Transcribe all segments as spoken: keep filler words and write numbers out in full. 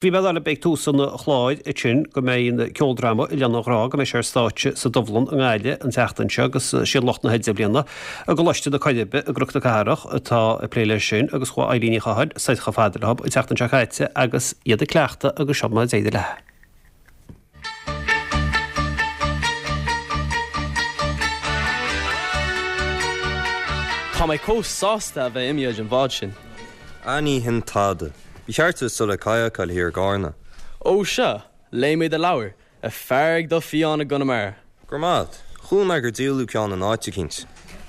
Bhí mé ag ag tús an chláir ansin go mbeidh an ceoldráma Oileán an Ghrá go mbeidh sé ar stáitse sa Dubhlann i nGaillimh an tseachtain seo agus siad lucht na hIdirbhliana i gColáiste na Coiribe i gCnoc na Cathrach atá ag plé leis sin agus chuaigh Eilín Ní Chathail soir chomh fada leo an tseachtain seo caite agus iad ag cleachtadh agus seo mar a d'éirigh léi. Tá mé chomh sásta a bheith imithe den bhád sin. Á ní hin tada. Ba cheart duit dul le cadhcáil thiar i gCarna. Ó sea, léigh mé do leabhar, A Fear ag Dul Fiáin i gConamara. Go raibh maith agat. Chuala mé gur díoladh ceann in áit eicínt.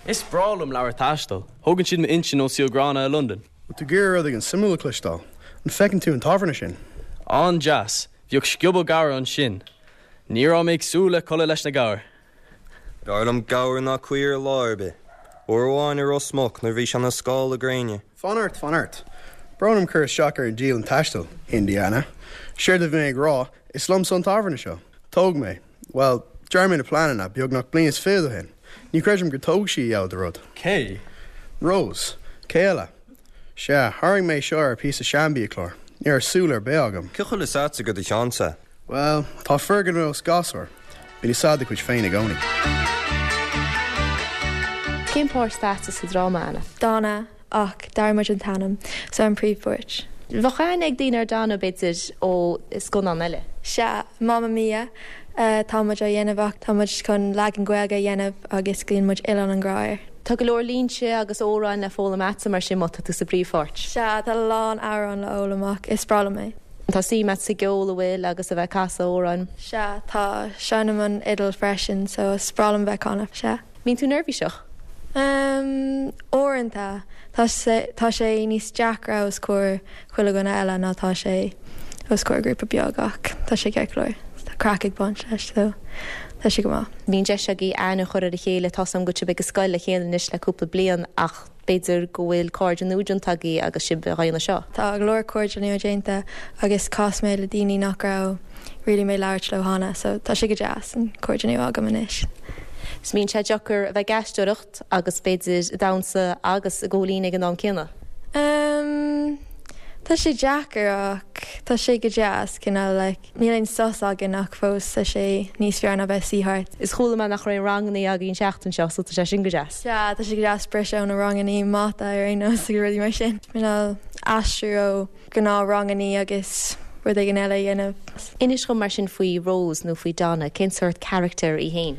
Is breá liom leabhair taistil. Thógann siad m'intinn ón saol gránna i Londain. Bhfuil tú ag iarraidh rud éigin suimiúil a chloisteáil? An bhfeiceann tú an tábhairne sin? An-deas. Bhíodh scioból gabhar ansin. Ní raibh mé ag súil le codladh leis na gabhair. B'fhearr liom gabhar ná caor lá ar bith. Uair amháin i Ros Muc nuair bhí sé ina scála gréine. Fan ort, fan ort. Brón orm cur isteach ar an dialann taistil, Indiana. Séard a bhí mé ag rá, is liomsa an tábhairne seo. Thóg mé, bhuel, dear mé na pleananna beagnach bliain is fiche ó shin. Ní chreidim gur tóg sí a dheabhal de rud. Cé? Rose. Cé eile? Sea, tharraing mé seo ar phíosa seanbhiachlár. Ní raibh súil ar bith agam. Cén chaoi a bhfuil fhios agat gur do cheannsa? Bhuel, tá foirgneamh os gasúr. Bíonn fhios a'd do chuid féin i gcónaí. Cén páirt atá agatsa sa dráma, Anna? Donna ach d'athraigh muid an t-ainm so an príomhpháirt. Bheadh aithne ag daoine ar Donna b'fhéidir ó scannán eile. Sea, Mamma Mia tá muid á dhéanamh ach tá muid chun leagan Gaeilge a dhéanamh agus glaonn muid Oileán an Ghrá air. Tá go leor línte agus amhráin le foghlaim agatsa mar sin má tá tú sa bpríomhpháirt. Sea, tá a lán amhrán le foghlaim ach is breá liom é. Tá suim agat sa gceol an bhfuil agus a bheith ag casadh amhráin. Sea, tá, seinnim an fhidil freisin so is breá liom bheith ag canadh, sea. Mbíonn tú neirbhíseach? Um, uaireanta tá sé tá sé níos deacra os comhair chuile dhuine eile ná tá sé os comhair grúpa beag ach tá sé ceart go leor. Tá craic ag baint leis so tá sé go maith. Bíonn deis agaibh aithne a chur ar a chéile tá am go sibh ag scoil le chéile anois le cúpla bliain ach b'fhéidir go bhfuil cairde nua déanta agaibh agus sibh á dhéanamh seo. Tá go leor cairde nua déanta agus chas mé le daoine nach raibh really mé labhairt leo cheana, so tá sé go deas an cairde nua agam anois. 'S mbíonn sé deacair a bheith ag aisteoireacht agus b'fhéidir ag damhsa agus ag gabháil fhoinn ag an am céanna. Um, tá sé deacair ach tá sé go deas cineál like, níl aon sos againn ach fós tá sé níos fearr ná bheith suí thart. Is chuala mé nach raibh ranganna agaibh an tseachtain seo, so tá sé sin go deas. Sea, tá sé go deas briseadh ó na ranganna mata ar aon nós agus rudaí mar sin. Cineál aistriú ó gnáth ranganna agus rud éigin eile a dhéanamh. Inis dom mar sin faoi Rose nó faoi Donna, cén sórt character í féin?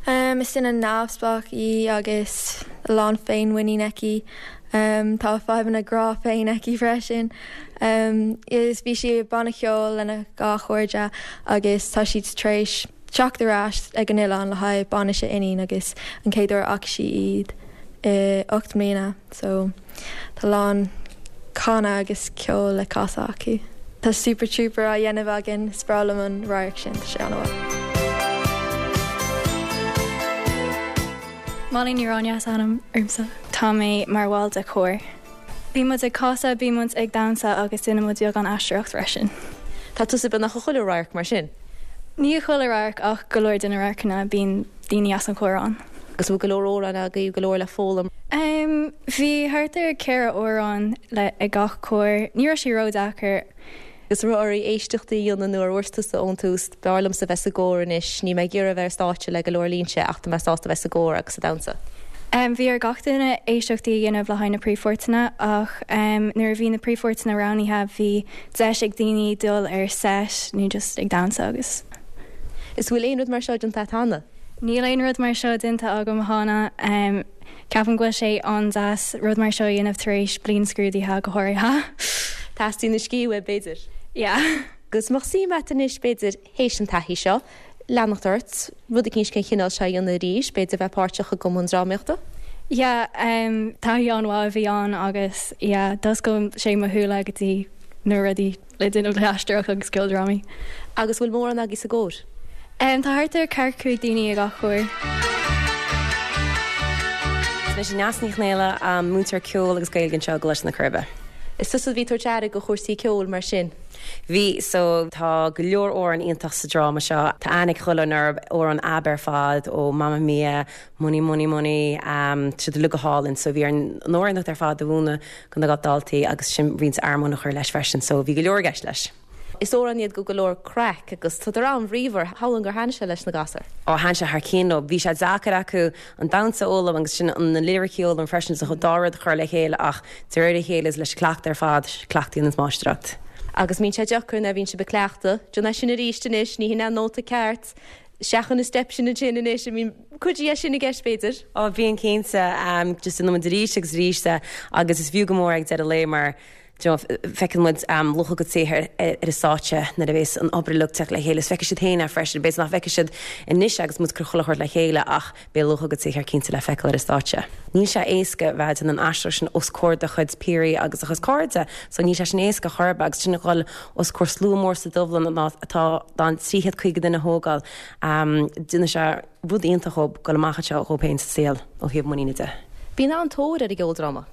Um, is duine neamhspleách í agus a lán féinmhuinín aici. Um, tá fadhbanna grá féin aici freisin. Um, is bhí sí banna ceoil lena dhá chairde agus tá siad tar éis teacht ar ais ag an oileán le haghaidh bainis a iníon agus an chéad uair a fhaca sí iad i ocht mbliana, so tá lán canadh agus ceol le casadh acu. Tá Super Trooper á dhéanamh againn is breá liom an radharc sin tá sé an-mhaith. Molly Ní Ráine is ainm ormsa. Tá mé mar bhall de chór. Bhí muid ag casadh, bhí muid ag damhsa agus déanann muid beagán aisteoireacht freisin. Tá tusa beagnach i chuile radharc mar sin. Ní chuile radharc ach go leor de na radharcanna bíonn daoine as an chór ann. Agus bhfuil go leor amhrán agaibh go leor le foghlaim. Um, bhí thart ar ceithre amhrán le ag gach cór, ní raibh sé ródheacair. Agus raibh oraibh éisteachtaí a dhéanamh nó ar dhúirt tusa ón tús b'fhearr liomsa bheith sa gcór anois, ní mé ag iarraidh bheith ar stáitse le go leor línte ach tá mé sásta bheith sa gcór agus sa damhsa. Um, bhí ar gach duine éisteachtaí a dhéanamh le haghaidh na príomhpháirteanna ach um, nuair a bhí na príomhpháirteanna roghnaithe bhí deis ag daoine dul ar set nó just ag damhsa agus. Is bhfuil aon rud mar seo déanta agat cheana? Níl aon rud mar seo déanta agam cheana um, ceapaim go bhfuil sé an-deas rud mar seo a dhéanamh tar éis bliain scrúdaithe go háirithe. Teastaíonn scíth uait b'fhéidir. Yeah. Agus mbeadh suim agat anois b'fhéidir théis an taithí seo, leanacht ort, rud éicint den chineál seo a dhéanamh arís, b'fhéidir bheith páirteach i gcumann drámaíochta? Yeah, um, taithí an-mhaith a bhí ann agus yeah, d'oscail sé mo shúile go dtí na rudaí le déanamh le haisteoireacht agus ceoldrámaí. Agus bhfuil mórán agaibh sa gcór? Um, tá thart ar ceathracha cúig daoine ag gach cór. Is mise Neasa Ní Chonghaile, um, múinteoir ceoil agus Gaeilge anseo i gColáiste na Coiribe. Is tusa a bhí ag tabhairt aire do chúrsaí ceoil mar sin. Bhí so tá go leor amhrán iontach sa dráma seo Tá aithne ag chuile dhuine orthu amhráin ab ar fad ó Mamma Mia, Money Money Money um, siad uilig go hálainn, so bhí orainn na hamhráin ar fad a mhúineadh do na daltaí agus sin roinnt armóin a chur leis freisin, so bhí go leor i gceist leis. Is amhráin iad go go leor craic agus tá an-bhríomhar shamhlóinn gur thaitin sé leis na gasúir. Ó thaitin sé thar cionn leo. Bhí sé deacair acu an damhsa a fhoghlaim agus sin an na liricí a fhoghlaim freisin sa dá rud a chur le chéile ach de réir a chéile is leis an cleachtadh ar fad cleachtaíonn an máistreacht. Agus mbíonn sé deacair nuair a bhíonn sibh ag cleachtadh, Déan é sin arís anois, ní hin an nóta ceart, seachain an step sin ansin anois, I mean cuid dhe sin i gceist b'fhéidir. Ó bhíonn cinnte um, just déanann muid arís agus arís agus is fiú go mór ag deireadh lae mar feiceann muid um, luach a gcuid saothair ar an stáitse nuair a bheas an obair uilig ag teacht le chéile, is feicfidh siad féin é freisin, b'fhéidir nach bhfeicfidh siad anois agus muid ag cur chuile shórt le chéile ach beidh luach a gcuid saothair cinnte le feiceáil ar an stáitse. Níl sé éasca bheith in an aisteoir sin os comhair do chuid piaraí agus a chuid cairde, so níl sé sin éasca chorba agus sin dhul os comhair slua mór sa Dubhlann atá in ann trí chéad caoga duine a thógáil. Um, Déanann sé rud iontach go amach seo dhó féin sa saol ó thaobh muiníne de. Bíonn an-tóir ar an gceoldráma.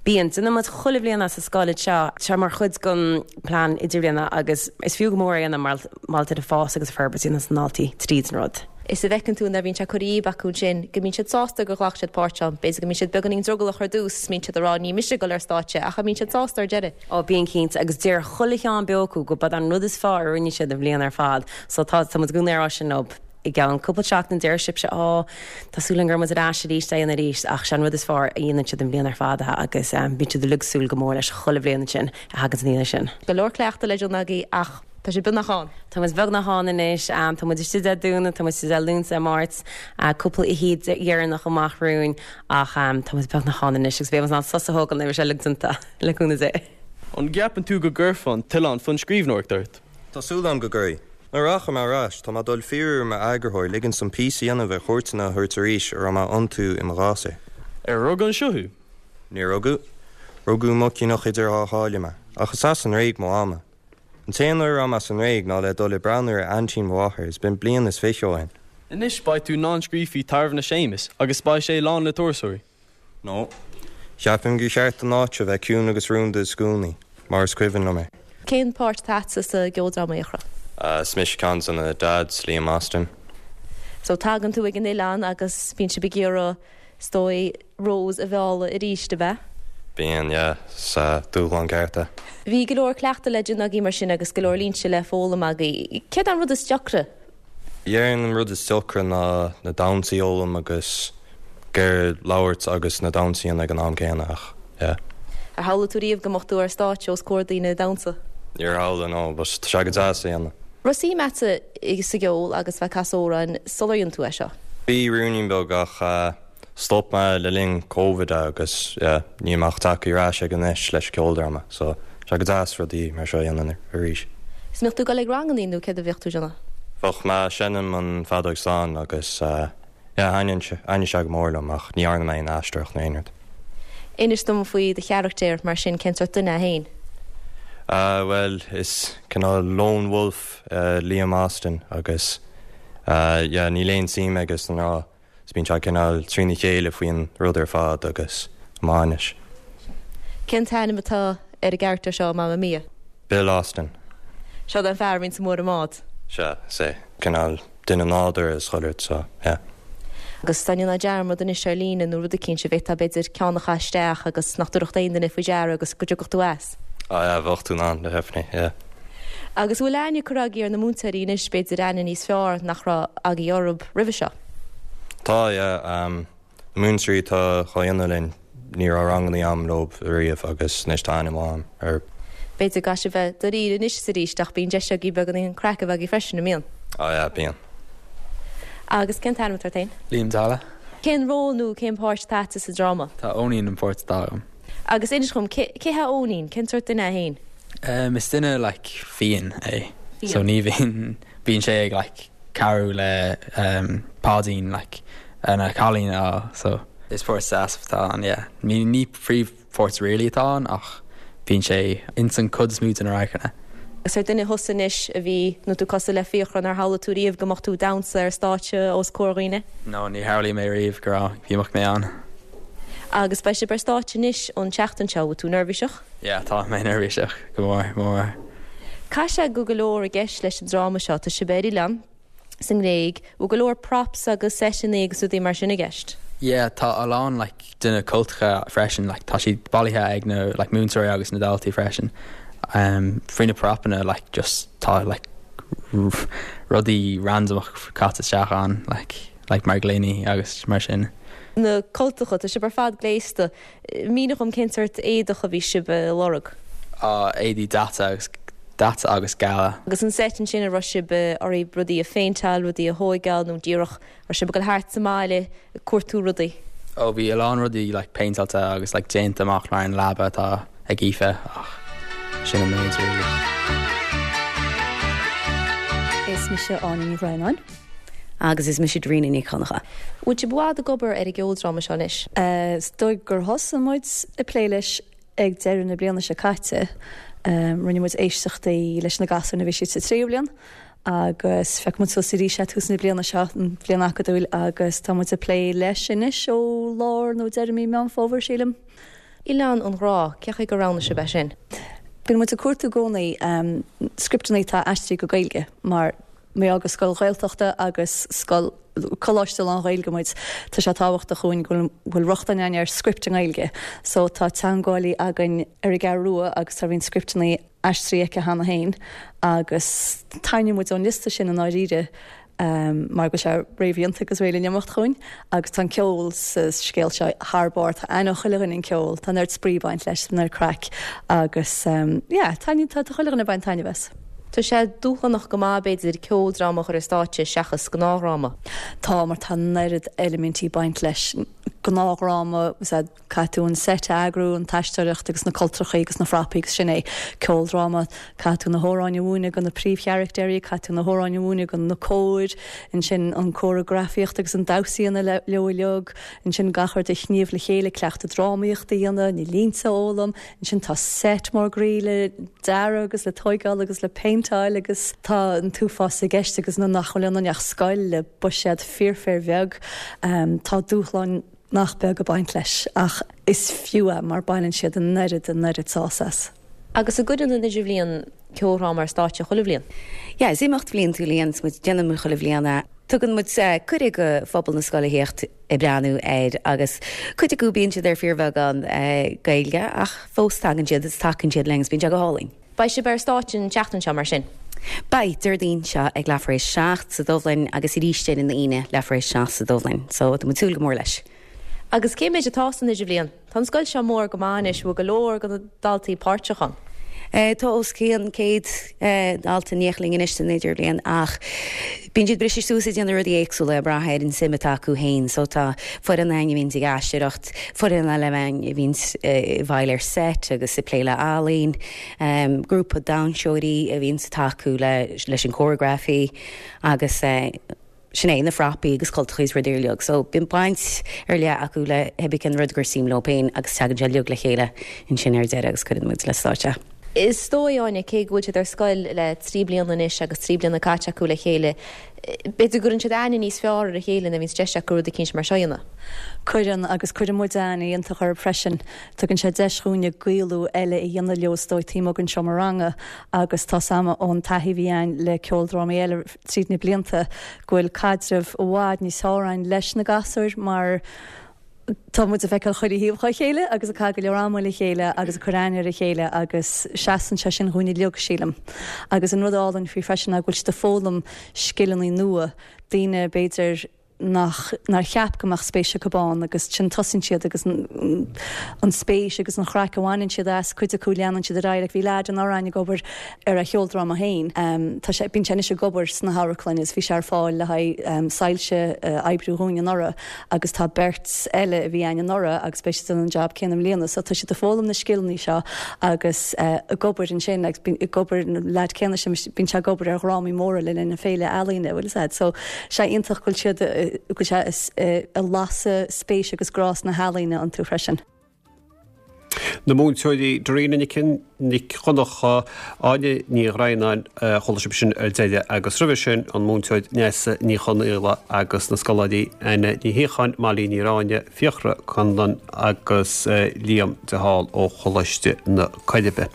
Bíonn déanann muid chuile bhliain sa scoil seo sé mar chuid den plean idirbhliana agus is fiú go mór é mar máilte a fás agus forbairt na ndaltaí tríd an rud. Is a bhfeiceann tú nuair a bhíonn sé curtha díobh acu sin, go mbíonn siad sásta gur ghlac siad páirt ann, b'fhéidir go mbíonn siad beagáinín drogallach ar dtús, mbíonn siad ag rá ní mise ag dul ar stáitse ach mbíonn siad sásta ar deireadh. Ó bíonn cinnte agus deir chuile cheann beo acu go b'é an rud is fearr a rinne siad an bhliain ar fad, so tá tá muid go rá sin leo i gceann cúpla seachtain deir sibhse á Tá súil agam go muid ar ais arís é an arís ach sin rud is fearr a dhéanann siad an bhliain ar fad agus um, bíonn siad ag súil go mór leis chuile bhliain sin a thagann an sin. Go leor cleachtadh le déanamh agaibh ach tá sé beagnach ann. Tá muid beagnach ann anois um, tá muid istigh Dé Domhnaigh, tá muid istigh Luan Máirt, uh, cúpla oíche dheireanach amach romhainn ach um, tá muid beagnach ann anois agus beidh an sos a thógáil sé le le cúnamh Dé. An gceapann tú go gcuirfear an t-oileán faoin scríbhneoireacht ort? Tá súil agam go gcuirfidh. Nuair a rachaidh mé ar ais, tá mé ag dul fiafraí ar m'eagarthóir ligean dom píosa a dhéanamh ar chuairteanna a thabhairt arís a raibh mé iontu i mo ghasúr. Ar rugadh anseo thú? Níor rugadh, rugadh i Muc Cnoc idir Dhá Sháile mé, ach is as an nGréig mo mhama. An t-aon uair a raibh mé sa nGréig ná le dul ag breathnú ar aintín mo mháthar is b'in bliain is fiche ó shin. Anois beidh tú in ann scríobh faoi Tairne Séamus agus beidh sé lán le turasóirí. No. Ceapaim gur cheart an áit a bheith ciúin agus rúnda i gcónaí, mar is cuimhin liom é. Cén páirt atá agatsa sa gceoldráma Fhiachra? Uh, is mise ceann de na dads Liam Austin. So tagann tú ag an oileán agus bíonn sibh ag iarraidh is dóigh Rose a mhealladh arís a bheith. Bíonn yeah, sa dúshlán ceart. Bhí go leor cleachtadh le déanamh agaibh mar sin agus go leor línte le foghlaim agaibh. Céard an rud is deacra? Dhéarfainn an rud is deacra ná na damhsaí a fhoghlaim agus gur labhairt agus na damhsaí ag an am céanna ach yeah. Ar shamhlaigh tú riamh go mbeadh tú ar stáitse os comhair daoine ag damhsa. Níor shamhlaigh no, bus tá sé go deas a dhéanamh. Raibh suim agatsa sa gceol agus bheith ag casadh amhráin sular dhein tú é seo. Bhí ruainnín beag ach uh, stop mé le linn COVID agus yeah, níl mé ach tagtha ar ais ag anois leis ceoldráma, so sé go deas rudaí mar seo a dhéanamh arís. Is mbeadh tú ag dul ag ranganna nó céard a bheadh tú ag déanamh? Bheadh mé ag seinm an feadóg stáin agus uh, yeah, thaitníonn sé go mór liom ach ní dhearna mé aon aisteoireacht nó aon rud. Inis dom faoi do charachtar mar sin cén sórt duine é féin. Uh, well is cineál lone wolf uh, Liam Austin agus uh, yeah, níl aon suim aige sna mná is bíonn sé cineál trína chéile faoin rud ar fad agus amáis. Cén t-ainm atá ar an gcarachtar seo Mamma Mia? Bill Austin. Seo an fear bhíonn sa mór mád. Se sé cineál duine nádúrtha is chuile so yeah. Agus tá na dearmad anois ar líne nó rud éicint a bheith b'fhéidir ceann a chaitheamh isteach agus nach dtabharfadh aon duine faoi deara agus go dtiocfadh tú as. Ah yeah, bheadh tú in ann le definitely, yeah. Agus bhfuil aithne curtha agaibh ar na múinteoirí anois b'fhéidir aithne níos fearr nach raibh agaibh orthu roimhe seo. Tá yeah, um, na múinteoirí tá á dhéanamh linn ní raibh ranganna agam leo riamh agus anois tá aithne agam orthu. B'fhéidir go bhfuil bheith dáiríre anois arís ach bíonn deis agaibh beagáinín craic a bheith agaibh freisin an mbíonn. Ah yeah, bíonn. Agus cén t-ainm atá ort féin? Liam Dala. Cén ról nó cén páirt atá agatsa sa dráma? Tá Eoinín an pháirt atá agam. Agus inis dom cé hé Eoinín, cén sórt duine é féin? Um, is duine like fiáin é. Fiáin. So ní bhíonn bíonn sé ag like cabhrú le um, Páidín like na cailíní á so is páirt deas atá ann yeah. Ní ní príomhpháirt really atá ann ach bíonn sé in san cuid is mó den radharcanna. Agus ar duine thusa anois a bhí nó tú cosúil le Fiachra ar shamhlaigh tú riamh go mbeadh tú ag damhsa ar stáitse os comhair daoine. No ní shamhlaigh mé riamh go raibh bhí mé ann. Agus beidh sibh ar stáitse anois an tseachtain seo tú neirbhíseach? Yeah, tá mé neirbhíseach go mór mór. Caithfidh sé go go leor i gceist leis an dráma seo tá sibh ar oileán sa nGréig, bhfuil go leor props agus seiteanna agus rudaí mar sin i gceist. Yeah, tá a lán like, duine cultacha freisin like, tá siad bailithe ag na like, múinteoirí agus na daltaí freisin. Um, Faoi na propanna like just tá like rudaí randomach caite isteach ann like like mar gloiní agus mar sin. Na cultacha tá sibh ar fad gléasta mínigh dom cén sórt éadach a bhí sibh ag lorg. Uh, éadaí daite agus daite agus geala. Agus an set sin a raibh sibh oraibh rudaí a phéinteáil rudaí a thógáil nó díreach raibh sibh ag dul thart sa mbaile ag cuartú rudaí. Ó bhí a lán rudaí like péinteáilte agus like déanta amach mar an leaba atá ag Aoife ach sin an méid really. Is mise Áine Ní Bhraonáin. Agus is mise Daoine Ní Choncha. Bhfuil sibh i bhfad ag obair ar an gceoldráma seo anois? Is dóigh gur thosaigh muid ag plé leis ag deireadh na bliana seo caite. Um, rinne muid éisteachtaí leis na gasúir a bhí siad sa tríú bliain, agus phioc muid suas arís é tús na bliana seo an bhliain acadúil agus tá muid ag plé leis anois ó lár nó deireadh mí Meán Fómhair sílim. Oileán an Ghrá, cén chaoi gur roghnaigh sibh é sin. Bíonn muid ag cuartú i gcónaí um, scripteanna atá aistrithe go Gaeilge mar mar gur scoil Ghaeltachta agus scoil coláiste lán-Ghaeilge muid tá sé tábhachtach dúinn go bhfuil rochtain againn ar script i nGaeilge. So tá teagmhálaí againn ar an gCeathrú Rua agus tá roinnt scripteanna aistrithe aici cheana féin agus tharraing muid ón liosta sin i ndáiríre um, mar go sé réamhdhéanta agus réidh le n-imeacht chugainn, agus tá ceol sa scéal seo thar barr tá aithne ag chuile dhuine ar an ceol, tá neart spraoi ag baint leis neart craic agus um, yeah, tá tá chuile dhuine ag baint taitneamh as. Tá sé dúshlánach go maith b'fhéidir ceoldráma a chur ar stáitse seachas gnáthdhráma. Tá mar tá an oiread eilimintí ag baint leis gnáthdhráma caithfidh tú an set a eagrú an t-aisteoireacht agus na cultacha agus na frapaí agus sin é ceoldráma caithfidh tú na hamhráin a mhúineadh do na príomhcharachtair, caithfidh tú na hamhráin a mhúineadh do na cóir, ansin an choreografaíocht agus an damhsa a dhéanamh leo uilig, ansin gach rud a shníomh le chéile cleachtadh drámaíochta a dhéanamh, na línte a fhoghlaim, ansin tá set mór groí le dearadh agus le tógáil agus le péinteáil agus tá an t-uafás i gceist agus na nach bhfuil ach scoil le buiséad fíor-fhíorbheag um, tá dúshláin nach beag ag baint leis ach is fiú é mar baineann siad an oiread an oiread sásamh as. Agus an gcuireann an idirbhliain ceoldráma ar stáitse chuile bhliain. Ja, is imeacht bhliantúil é muid déanann muid chuile bhliain é. Tugann muid uh, cuireadh do phobal na scoile theacht ag breathnú air agus cuid acu bíonn siad ar fíorbheagán uh, Gaeilge ach fós tagann siad is tagann siad linn bíonn sé go hálainn. Beidh sibh ar stáitse an tseachtain seo mar sin. Beidh Déardaoin seo ag leathuair tar éis seacht sa Dubhlann agus arís ar an Aoine leathuair tar éis seacht sa Dubhlann, so tá muid ag súil go mór leis. Agus cé méid atá san idirbhliain, Tá an scoil seo mór go maith bhfuil go leor de na daltaí páirteach ann. Uh, tá os cionn céad uh, dalta néling inis san idirbhliain ach bíonn siad briste suas ag déanamh rudaí éagsúla ag brath ar an suim atá acu féin, so tá foireann a bhíonn ag aisteoireacht, foireann eile a bhíonn bhil ar set agus ag plé le ealaín, um, grúpa damhsóirí a bhíonn ag tacú le, leis an choreography agus uh, sin é na frapaí agus cultacha is rudaí uilig, so bíonn baint ar leith acu le hébí an rud gur suim leo féin agus tagann sé uilig le chéile ansin ar deireadh agus cuireann muid le stáitse. Is dóigh Áine cé go bhfuil siad ar scoil le trí bliana anois agus trí bliana caite acu le chéile. B'fhéidir go gcuireann siad aithne níos fearr ar a chéile nuair a bhíonn deis acu rud éicint mar seo a dhéanamh. Cuireann agus cuireann muid aithne iontach orthu freisin, tugann sé deis dúinne gaolú eile a dhéanamh leo taobh amuigh den seomra ranga agus tá sama ón taithí a bhí againn le ceoldrámaí eile tríd na blianta go bhfuil caidreamh i bhfad níos fearr againn leis na gasúir mar tá muid ag feiceáil chuile thaobh dá chéile agus ag caitheamh go leor ama le chéile agus ag cur aithne ar a chéile agus seasann sé sin dúinn uilig sílim. Agus an rud álainn faoi freisin ná go bhfuil siad ag foghlaim scileanna nua daoine b'fhéidir nach nár cheap go mbeadh spéis acu ann agus sin tosaíonn siad agus an, an spéis agus an chraic a bhaineann siad as cuid acu leanann siad ar aghaidh bhí leaid anuraidh ag obair ar a cheoldráma féin. Um, tá sé bíonn sé anois ag obair sna hamharclanna is bhí sé ar fáil le haghaidh um, soilse uh, oibriú dúinn anuraidh agus tá beirt eile a bhí againn anuraidh agus beidh siad an job céanna i mbliana, so tá siad ag foghlaim na scileanna seo agus uh, ag obair ansin agus ag obair leaid céanna sin bíonn sé ag obair ar dhrámaí móra le linn na féile ealaíne bhfuil said. So sé iontach go bhfuil siad go sé ag lasadh spéis agus grá na healaíne iontu freisin. Na múinteoirí Daoine Nic Nic Choncha Áine Ní Bhraonáin chuala sibh sin ar deireadh agus roimhe sin an múinteoir Neasa Ní Chonaola agus na scoláirí Anna Ní Shíocháin Mailí Ní Ráine Fiachra Conlan agus Liam de Hál ó Choláiste na Coiribe.